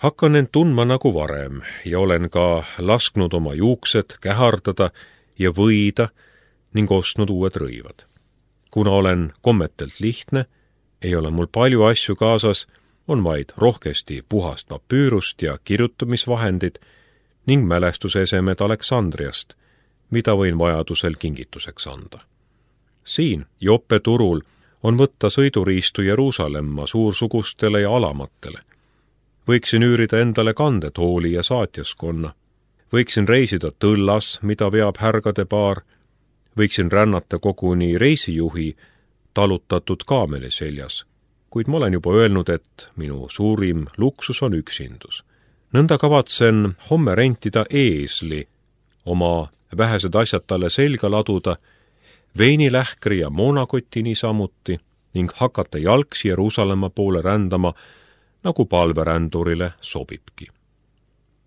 Hakkan end tundma nagu varem ja olen ka lasknud oma juuksed kähardada ja võida ning ostnud uued rõivad. Kuna olen kommetelt lihtne, ei ole mul palju asju kaasas, on vaid rohkesti puhast papüürust ja kirjutamisvahendid ning mälestusesemed Aleksandriast, mida võin vajadusel kingituseks anda. Siin Joppe turul on võtta sõiduriistu Jeruusalemma suursugustele ja alamatele. Võiksin üürida endale kandetooli ja saatjaskonna. Võiksin reisida tõllas, mida veab härgade paar. Võiksin rännata koguni reisijuhi talutatud kaameli seljas, kuid ma olen juba öelnud, et minu suurim luksus on üksindus. Nõnda kavatsen homme rentida eesli, oma vähesed asjad talle selga laduda, veinilähkri ja moonakoti niisamuti ning hakata jalgsi Jeruusalemma poole rändama, nagu palverändurile sobibki.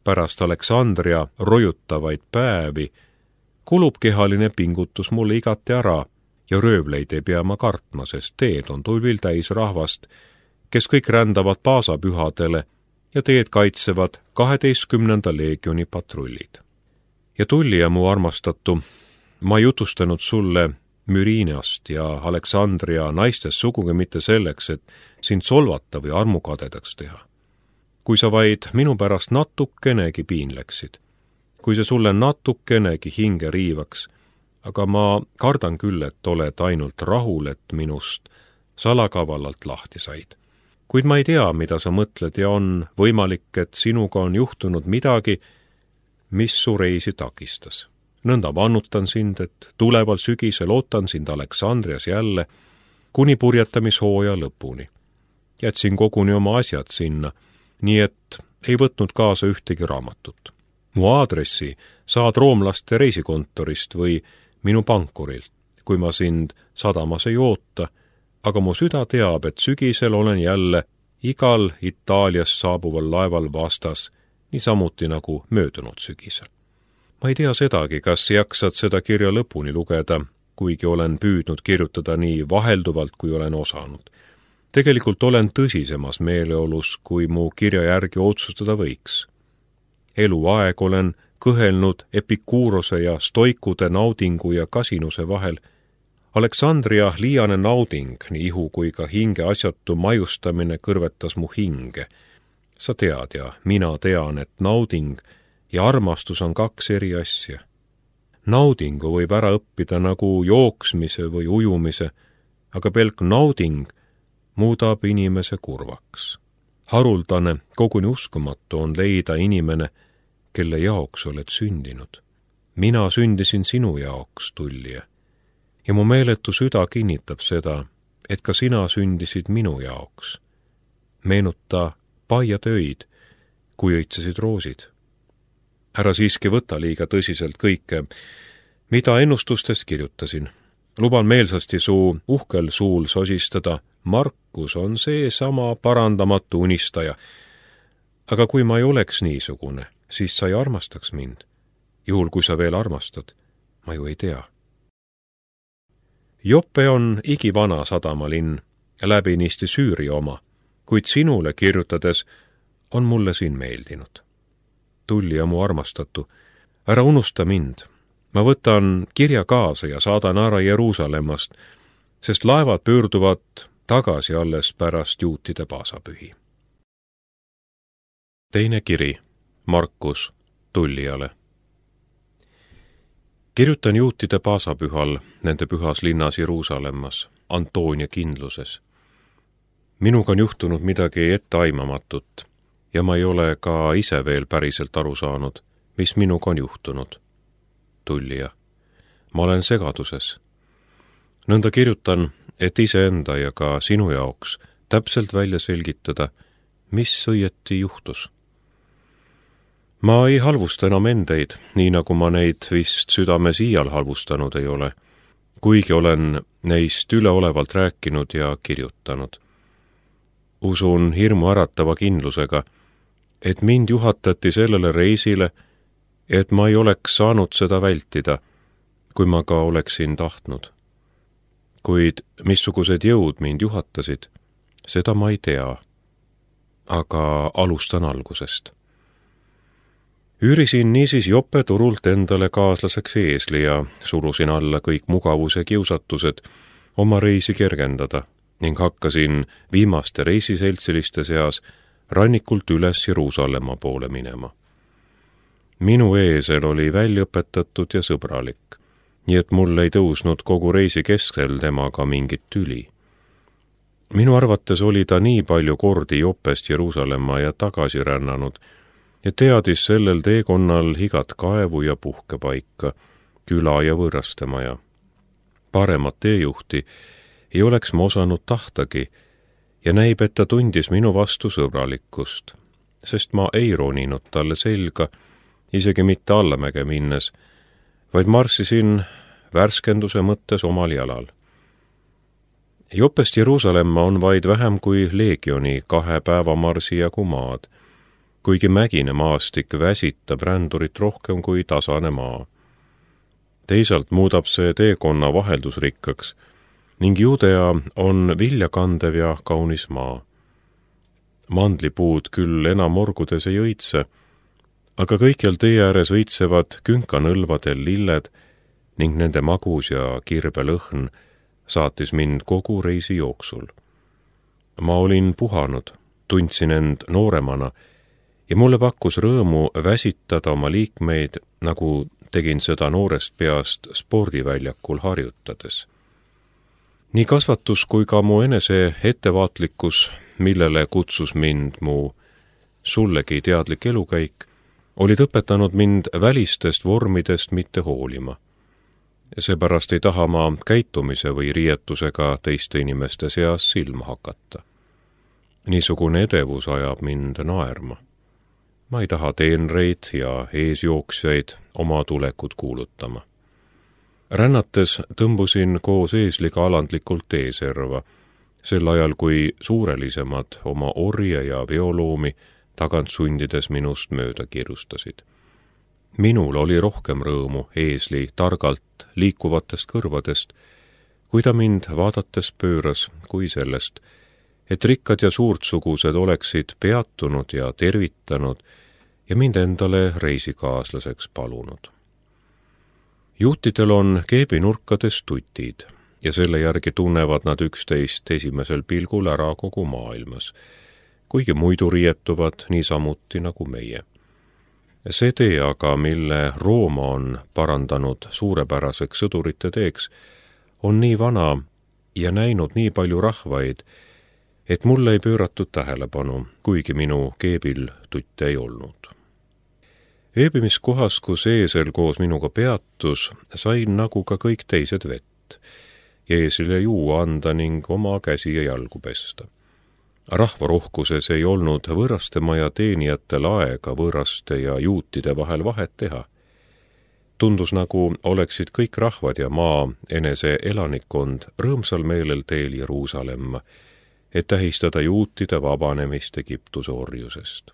Pärast Aleksandria rojutavaid päevi kulub kehaline pingutus mulle igati ära ja röövleid ei pea ma kartma, sest teed on tulvil täis rahvast, kes kõik rändavad paasapühadele ja teed kaitsevad 12. leegioni patrullid. Ja Tulli ja mu armastatu, ma jutustanud sulle Mürineast ja Aleksandria naistest sugugi mitte selleks, et sind solvata või armukadedaks teha. Kui sa vaid minu pärast natukenegi piinleksid, kui see sulle natukenegi hinge riivaks, aga ma kardan küll, et oled ainult rahul, et minust salakavallalt lahti said. Kuid ma ei tea, mida sa mõtled ja on võimalik, et sinuga on juhtunud midagi, mis su reisi takistas. Nõnda vannutan sind, et tuleval sügisel ootan sind Aleksandrias jälle kuni purjetamishooja lõpuni. Jätsin koguni oma asjad sinna, nii et ei võtnud kaasa ühtegi raamatut. Mu aadressi saad roomlaste reisikontorist või minu pankurilt, kui ma sind sadamas ei oota, aga mu süda teab, et sügisel olen jälle igal Itaaliast saabuval laeval vastas, niisamuti nagu möödunud sügisel. Ma ei tea sedagi, kas jaksad seda kirja lõpuni lugeda, kuigi olen püüdnud kirjutada nii vahelduvalt, kui olen osanud. Tegelikult olen tõsisemas meeleolus, kui mu kirja järgi otsustada võiks. Eluaeg olen kõhelnud Epikuurose ja stoikude naudingu ja kasinuse vahel. Aleksandria liiane nauding, nii ihu kui ka hinge asjatu majustamine kõrvetas mu hinge. Sa tead ja mina tean, et nauding ja armastus on kaks eri asja. Naudingu võib ära õppida nagu jooksmise või ujumise, aga pelk nauding muudab inimese kurvaks. Haruldane, koguni uskumatu on leida inimene, kelle jaoks oled sündinud. Mina sündisin sinu jaoks, Tullija. Ja mu meeletu süda kinnitab seda, et ka sina sündisid minu jaoks. Meenuta paiade öid, kui õitsesid roosid. Ära siiski võta liiga tõsiselt kõike, mida ennustustest kirjutasin. Luban meelsasti su uhkel suul sosistada, Markus on see sama parandamatu unistaja. Aga kui ma ei oleks niisugune, siis sa ei armastaks mind. Juhul, kui sa veel armastad, ma ju ei tea. Joppe on igivana sadamalinn, läbinisti Süüria oma, kuid sinule kirjutades on mulle siin meeldinud. Tullija mu armastatu, ära unusta mind. Ma võtan kirja kaasa ja saadan ära Jeruusalemmast, sest laevad pöörduvad tagasi alles pärast juutide paasapühi. Teine kiri, Markus Tullijale. Kirjutan juutide paasapühal nende pühas linnas Jeruusalemmas, Antoonia kindluses. Minuga on juhtunud midagi etteaimamatut ja ma ei ole ka ise veel päriselt aru saanud, mis minuga on juhtunud. Tullija, ma olen segaduses. Nõnda kirjutan, et iseenda ja ka sinu jaoks täpselt välja selgitada, mis õieti juhtus. Ma ei halvusta enam endeid, nii nagu ma neid vist südames iial halvustanud ei ole, kuigi olen neist üleolevalt rääkinud ja kirjutanud. Usun hirmu äratava kindlusega, et mind juhatati sellele reisile, et ma ei oleks saanud seda vältida, kui ma ka oleksin tahtnud. Kuid missugused jõud mind juhatasid, seda ma ei tea. aga alustan algusest. Üürisin niisiis Jope turult endale kaaslaseks eesli ja surusin alla kõik mugavuse kiusatused oma reisi kergendada ning hakkasin viimaste reisiseltsiliste seas rannikult üles Jeruusalemma poole minema. Minu eesel oli väljaõpetatud ja sõbralik, nii et mul ei tõusnud kogu reisi keskel temaga mingit tüli. Minu arvates oli ta nii palju kordi Jopest Jeruusalemma ja tagasi rännanud ja teadis sellel teekonnal igat kaevu ja puhkepaika, küla ja võõrastemaja. Paremat teejuhti ei oleks ma osanud tahtagi ja näib, et ta tundis minu vastu sõbralikkust, sest ma ei roninud talle selga, isegi mitte allamäge minnes, vaid marssisin värskenduse mõttes omal jalal. Jopest Jeruusalemma on vaid vähem kui leegioni 2 päevamarsi jagu maad, kuigi mägine maastik väsitab rändurit rohkem kui tasane maa. Teisalt muudab see teekonna vaheldusrikkaks ning Judea on viljakandev ja kaunis maa. Mandlipuud küll enam orgudes ei õitse, aga kõikjal tee ääres õitsevad künkanõlvadel lilled ning nende magus ja kirbe lõhn saatis mind kogu reisi jooksul. Ma olin puhanud, tundsin end nooremana ja mulle pakkus rõõmu väsitada oma liikmeid, nagu tegin seda noorest peast spordiväljakul harjutades. Nii kasvatus kui ka mu enese ettevaatlikkus, millele kutsus mind mu sullegi teadlik elukäik, olid õpetanud mind välistest vormidest mitte hoolima. Seepärast ei taha ma käitumise või riietusega teiste inimeste seas silma hakata. Niisugune edevus ajab mind naerma. Ma ei taha teenreid ja eesjooksjaid oma tulekut kuulutama. Rännates tõmbusin koos eesliga alandlikult teeserva, sel ajal kui suurelisemad oma orje ja veoloomi tagant sundides minust mööda kiirustasid. Minul oli rohkem rõõmu eesli targalt liikuvatest kõrvadest, kui ta mind vaadates pööras, kui sellest, et rikkad ja suurtsugused oleksid peatunud ja tervitanud ja mind endale reisikaaslaseks palunud. Juutidel on keebinurkades tutid ja selle järgi tunnevad nad üksteist esimesel pilgul ära kogu maailmas, kuigi muidu riietuvad niisamuti nagu meie. See tee aga, mille Rooma on parandanud suurepäraseks sõdurite teeks, on nii vana ja näinud nii palju rahvaid, et mulle ei pööratud tähelepanu, kuigi minu keebil tutte ei olnud. Ööbimiskohas, kus eesel koos minuga peatus, sain nagu ka kõik teised vett, eesile juua anda ning oma käsi ja jalgu pesta. Rahvarohkuses ei olnud võõrastemaja teenijatel aega võõraste ja juutide vahel vahet teha. Tundus nagu oleksid kõik rahvad ja maa enese elanikkond rõõmsal meelel teel Jeruusalemma, et tähistada juutide vabanemist Egiptuse orjusest.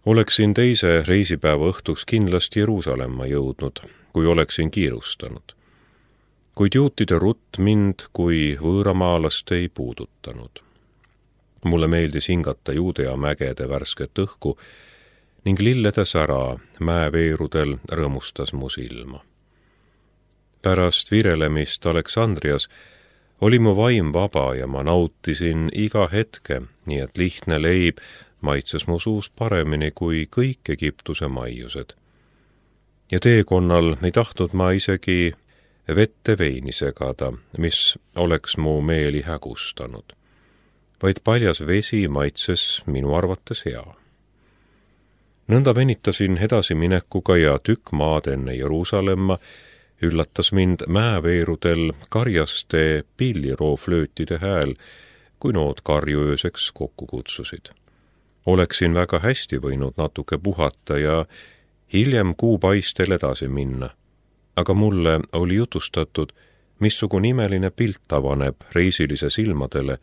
Oleksin teise reisipäeva õhtuks kindlasti Jeruusalemma jõudnud, kui oleksin kiirustanud. Kuid juutide rutt mind kui võõramaalast ei puudutanud. Mulle meeldis hingata Judea mägede värsket õhku ning lillede sära mäeveerudel rõõmustas mu silma. Pärast virelemist Aleksandrias oli mu vaim vaba ja ma nautisin iga hetke, nii et lihtne leib maitses mu suus paremini kui kõik Egiptuse maiused. Ja teekonnal ei tahtnud ma isegi vette veini segada, mis oleks mu meeli hägustanud, vaid paljas vesi maitses minu arvates hea. Nõnda venitasin edasiminekuga ja tükk maad enne Jeruusalemma üllatas mind mäeveerudel karjaste pillirooflöötide hääl, kui nood karju ööseks kokku kutsusid. Oleksin väga hästi võinud natuke puhata ja hiljem kuupaistel edasi minna, aga mulle oli jutustatud, missugune imeline pilt avaneb reisilise silmadele,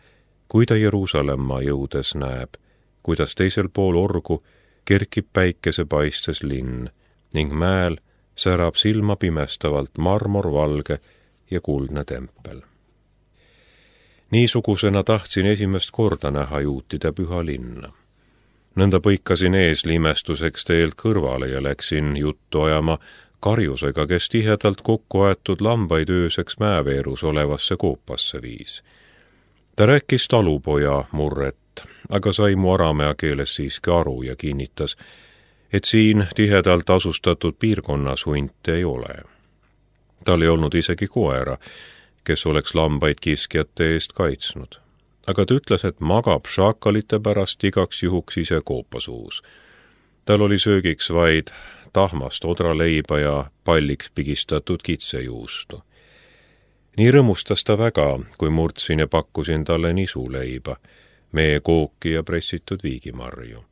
kui ta Jeruusalemma jõudes näeb, kuidas teisel pool orgu kerkib päikesepaistes linn ning mäel särab silma pimestavalt marmorvalge ja kuldne tempel. Niisugusena tahtsin esimest korda näha juutide püha linna. Nõnda põikasin eesli imestuseks teelt kõrvale ja läksin juttu ajama karjusega, kes tihedalt kokku aetud lambaid ööseks mäeveerus olevasse koopasse viis. Ta rääkis talupoja murret, aga sai mu aramea keeles siiski aru ja kinnitas, et siin tihedalt asustatud piirkonnas hunte ei ole. Tal ei olnud isegi koera, kes oleks lambaid kiskjate eest kaitsnud. Aga ta ütles, et magab šaakalite pärast igaks juhuks ise koopasuus. Tal oli söögiks vaid tahmast odraleiba ja palliks pigistatud kitsejuustu. Nii rõõmustas ta väga, kui murdsin ja pakkusin talle nisuleiba, meekooki ja pressitud viigimarju.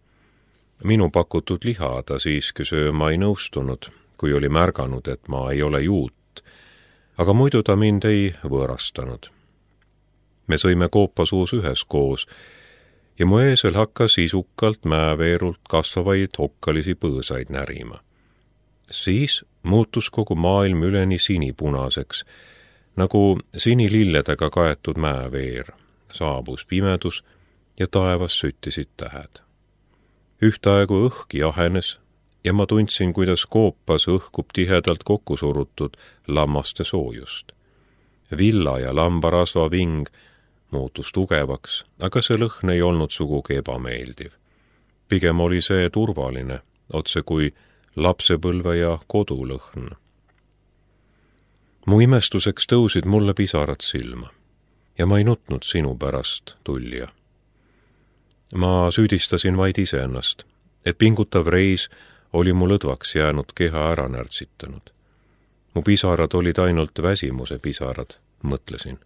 Minu pakutud liha ta siiski sööma ei nõustunud, kui oli märganud, et ma ei ole juut, aga muidu ta mind ei võõrastanud. Me sõime koopasuus üheskoos ja mu eesel hakkas isukalt mäeveerult kasvavaid okkalisi põõsaid närima. Siis muutus kogu maailm üleni sinipunaseks, nagu sinililledega kaetud mäeveer. Saabus pimedus ja taevas süttisid tähed. Ühtaegu õhk jahenes ja ma tundsin, kuidas koopas õhkub tihedalt kokku surutud lammaste soojust. Villa ja lambarasva ving muutus tugevaks, aga see lõhn ei olnud sugugi ebameeldiv. Pigem oli see turvaline, otse kui lapsepõlve ja kodulõhn. Mu imestuseks tõusid mulle pisarad silma ja ma ei nutnud sinu pärast, tullija. Ma süüdistasin vaid iseennast, et pingutav reis oli mu lõdvaks jäänud keha ära närtsitanud. Mu pisarad olid ainult väsimuse pisarad, mõtlesin.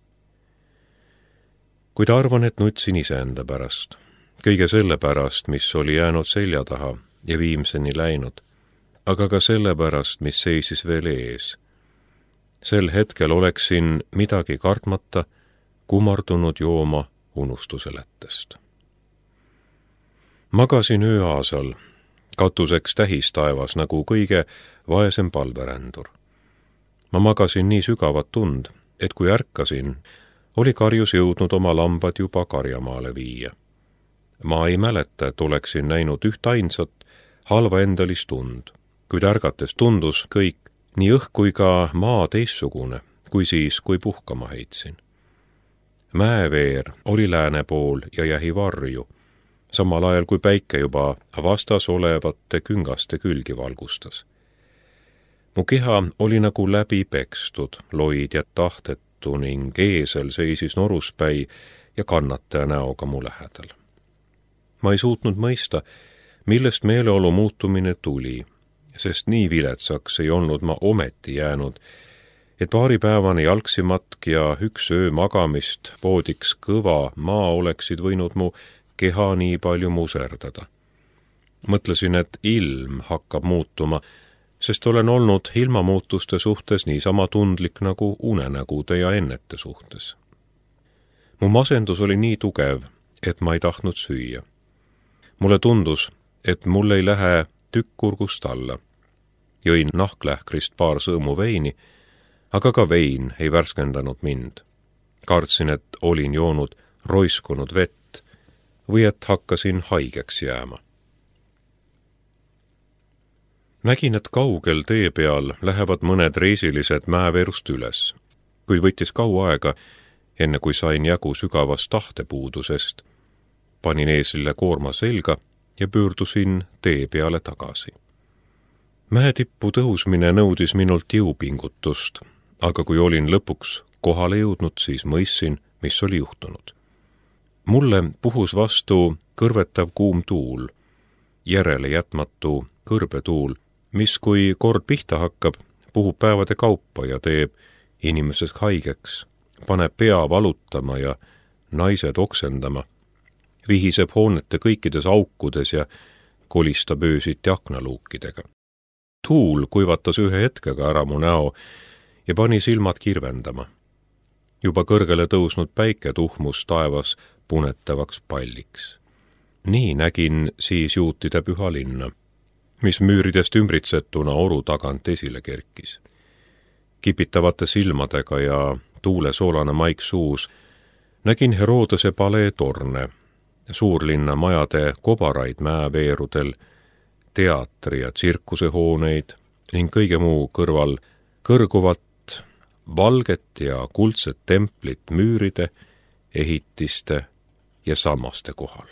Kuid arvan, et nutsin iseenda pärast, kõige selle pärast, mis oli jäänud selja taha ja viimseni läinud, aga ka selle pärast, mis seisis veel ees. Sel hetkel oleksin midagi kartmata kummardunud jooma unustuse lättest. Magasin ööaasal, katuseks tähistaevas nagu kõige vaesem palverändur. Ma magasin nii sügavat tund, et kui ärkasin, oli karjus jõudnud oma lambad juba karjamaale viia. Ma ei mäleta, et oleksin näinud üht ainsat halva endalist tund, kuid ärgates tundus kõik, nii õhk kui ka maa teissugune, kui siis, kui puhkama heitsin. Mäeveer oli lääne pool ja jähi varju, samal ajal kui päike juba vastas olevate küngaste külgi valgustas. Mu keha oli nagu läbi pekstud, loid ja tahtetu ning eesel seisis noruspäi ja kannataja näoga mu lähedal. Ma ei suutnud mõista, millest meeleolu muutumine tuli, sest nii viletsaks ei olnud ma ometi jäänud, et paaripäevane jalgsimatk ja üks öö magamist poodiks kõva maa oleksid võinud mu keha nii palju muserdada. Mõtlesin, et ilm hakkab muutuma, sest olen olnud ilmamuutuste suhtes niisama tundlik nagu unenägude ja ennete suhtes. Mu masendus oli nii tugev, et ma ei tahtnud süüa. Mulle tundus, et mul ei lähe tükk kurgust alla. Jõin nahklähkrist paar sõõmu veini, aga ka vein ei värskendanud mind. Kartsin, et olin joonud roiskunud vett või et hakkasin haigeks jääma. Nägin, et kaugel tee peal lähevad mõned reisilised mäeveerust üles, kuid võttis kaua aega, enne kui sain jagu sügavast tahtepuudusest. Panin eeslile koorma selga ja pöördusin tee peale tagasi. Mäetippu tõusmine nõudis minult jõupingutust, aga kui olin lõpuks kohale jõudnud, siis mõistsin, mis oli juhtunud. Mulle puhus vastu kõrvetav kuum tuul, järele jätmatu kõrbetuul, mis kui kord pihta hakkab, puhub päevade kaupa ja teeb inimesest haigeks, paneb pea valutama ja naised oksendama, vihiseb hoonete kõikides aukudes ja kolistab öösiti aknaluukidega. Tuul kuivatas ühe hetkega ära mu näo ja pani silmad kirvendama. Juba kõrgele tõusnud päike tuhmus taevas punetavaks palliks. Nii nägin siis juutide püha linna, mis müüridest ümbritsetuna oru tagant esile kerkis. Kipitavate silmadega ja tuule soolane maik suus Nägin Herodese palee torne, suurlinna majade kobaraid mäeveerudel, teatri- ja tsirkusehooneid ning kõige muu kõrval kõrguvat valget ja kuldset templit müüride, ehitiste ja sammaste kohal.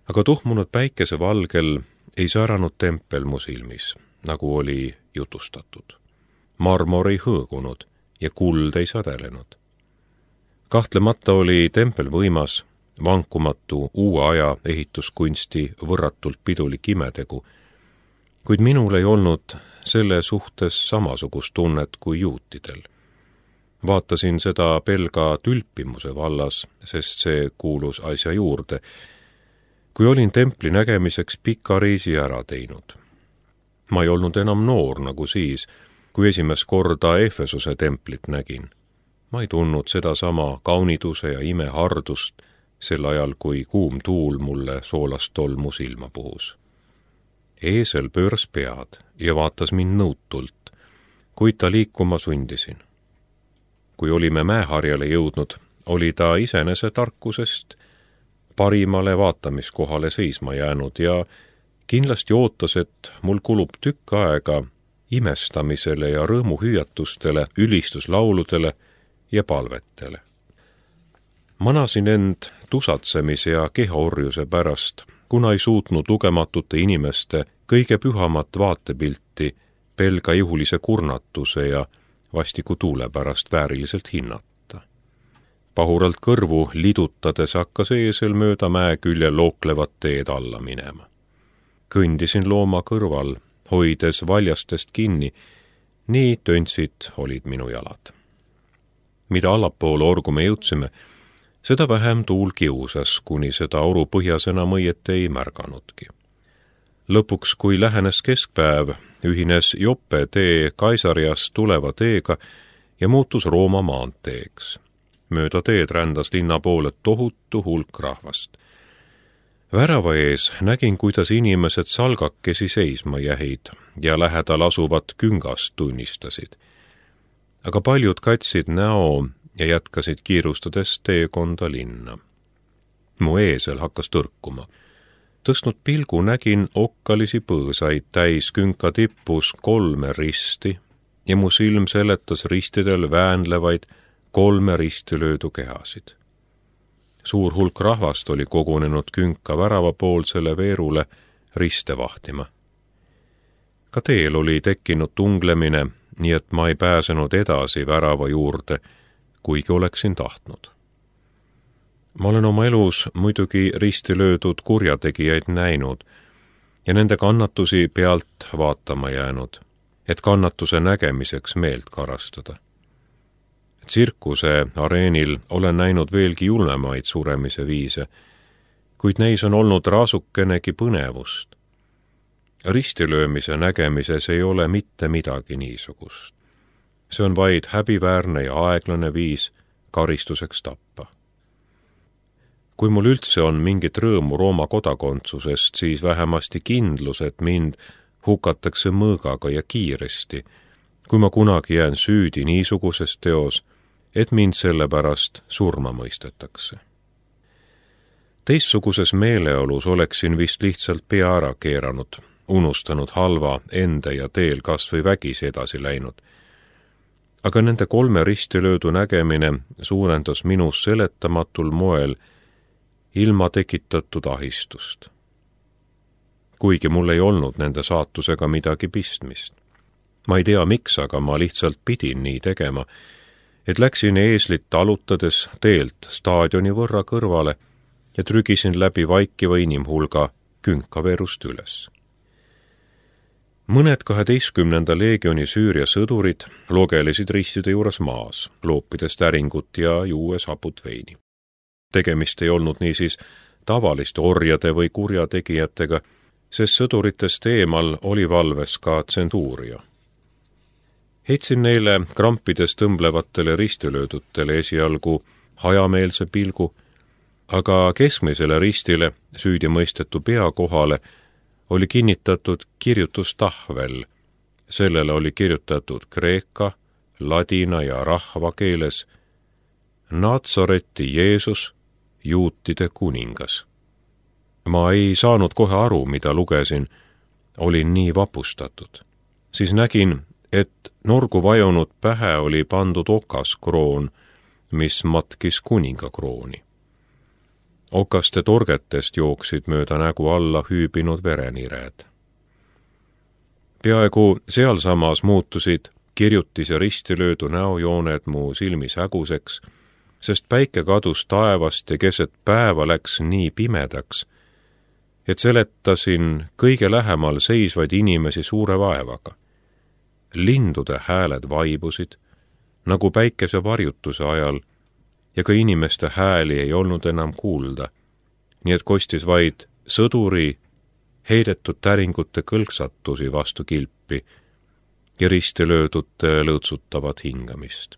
Aga tuhmunud päikese valgel ei säranud tempel mu silmis, nagu oli jutustatud. Marmor ei hõõgunud ja kuld ei sadelenud. Kahtlemata oli tempel võimas, vankumatu uue aja ehituskunsti võrratult pidulik imetegu, kuid minul ei olnud selle suhtes samasugust tunnet kui juutidel. Vaatasin seda pelga tülpimuse vallas, sest see kuulus asja juurde, kui olin templi nägemiseks pika reisi ära teinud. Ma ei olnud enam noor nagu siis, kui esimest korda Efesuse templit nägin. Ma ei tundnud sedasama kauniduse ja imehardust sel ajal, kui kuum tuul mulle soolast tolmu silma puhus. Eesel pööras pead ja vaatas mind nõutult, kuid ta liikuma sundisin. Kui olime mäeharjale jõudnud, oli ta isenese tarkusest parimale vaatamiskohale seisma jäänud ja kindlasti ootas, et mul kulub tükk aega imestamisele ja rõõmuhüüatustele, ülistuslauludele ja palvetele. Manasin end tusatsemise ja kehaorjuse pärast, kuna ei suutnud lugematute inimeste kõige pühamat vaatepilti pelga ihulise kurnatuse ja vastiku tuule pärast vääriliselt hinnata. Pahuralt kõrvu lidutades hakkas eesel mööda mäe külje looklevat teed alla minema. Kõndisin looma kõrval, hoides valjastest kinni, nii töntsid olid minu jalad. Mida allapoole orgu me jõudsime, seda vähem tuul kiusas, kuni seda oru põhjas enam õieti ei märganudki. Lõpuks, kui lähenes keskpäev, ühines Joppe tee Kaisariast tuleva teega ja muutus Rooma maanteeks. Mööda teed rändas linna poole tohutu hulk rahvast. Värava ees nägin, kuidas inimesed salgakesi seisma jäid ja lähedal asuvat küngast tunnistasid. Aga paljud katsid näo ja jätkasid kiirustades teekonda linna. Mu eesel hakkas tõrkuma. Tõstnud pilgu nägin okkalisi põõsaid täis künka tippus 3 risti ja mu silm seletas ristidel väänlevaid 3 ristilöödu kehasid. Suur hulk rahvast oli kogunenud künka väravapoolsele veerule riste vahtima. Ka teel oli tekkinud tunglemine, nii et ma ei pääsenud edasi värava juurde, kuigi oleksin tahtnud. Ma olen oma elus muidugi risti löödud kurjategijaid näinud ja nende kannatusi pealt vaatama jäänud, et kannatuse nägemiseks meelt karastada. Tsirkuse areenil olen näinud veelgi julmemaid suremise viise, kuid neis on olnud raasukenegi põnevust. Ristilöömise nägemises ei ole mitte midagi niisugust. See on vaid häbiväärne ja aeglane viis karistuseks tappa. Kui mul üldse on mingit rõõmu Rooma kodakondsusest, siis vähemasti kindlus, et mind hukatakse mõõgaga ja kiiresti, kui ma kunagi jään süüdi niisuguses teos, et mind sellepärast surma mõistetakse. Teistsuguses meeleolus oleksin vist lihtsalt pea ära keeranud, unustanud halva enda ja teel kas või vägisi edasi läinud. Aga nende 3 ristilöödu nägemine suurendas minus seletamatul moel ilma tekitatud ahistust. Kuigi mul ei olnud nende saatusega midagi pistmist. Ma ei tea miks, aga ma lihtsalt pidin nii tegema, et läksin eeslit talutades teelt staadioni võrra kõrvale ja trügisin läbi vaikiva inimhulga künkaveerust üles. Mõned 12. leegioni Süüria sõdurid logelesid ristide juures maas, loopides täringut ja juues haput veini. Tegemist ei olnud niisiis tavaliste orjade või kurjategijatega, sest sõduritest eemal oli valves ka tsentuuria. Heitsin neile krampides tõmblevatele ristilöödutele esialgu hajameelse pilgu, aga keskmisele ristile süüdimõistetu pea kohale oli kinnitatud kirjutustahvel. Sellele oli kirjutatud kreeka, ladina ja rahva keeles Natsareti Jeesus, juutide kuningas. Ma ei saanud kohe aru, mida lugesin, olin nii vapustatud. Siis nägin, et norgu vajunud pähe oli pandud okaskroon, mis matkis kuningakrooni. Okaste torgetest jooksid mööda nägu alla hüübinud verenired. Peaaegu sealsamas muutusid kirjutis ja ristilöödu näojooned mu silmis häguseks, sest päike kadus taevast ja keset päeva läks nii pimedaks, et seletasin kõige lähemal seisvaid inimesi suure vaevaga. Lindude hääled vaibusid, nagu päikese varjutuse ajal, ja ka inimeste hääli ei olnud enam kuulda, nii et kostis vaid sõduri heidetud täringute kõlksatusi vastu kilpi ja ristilöödute lõõtsutavat hingamist.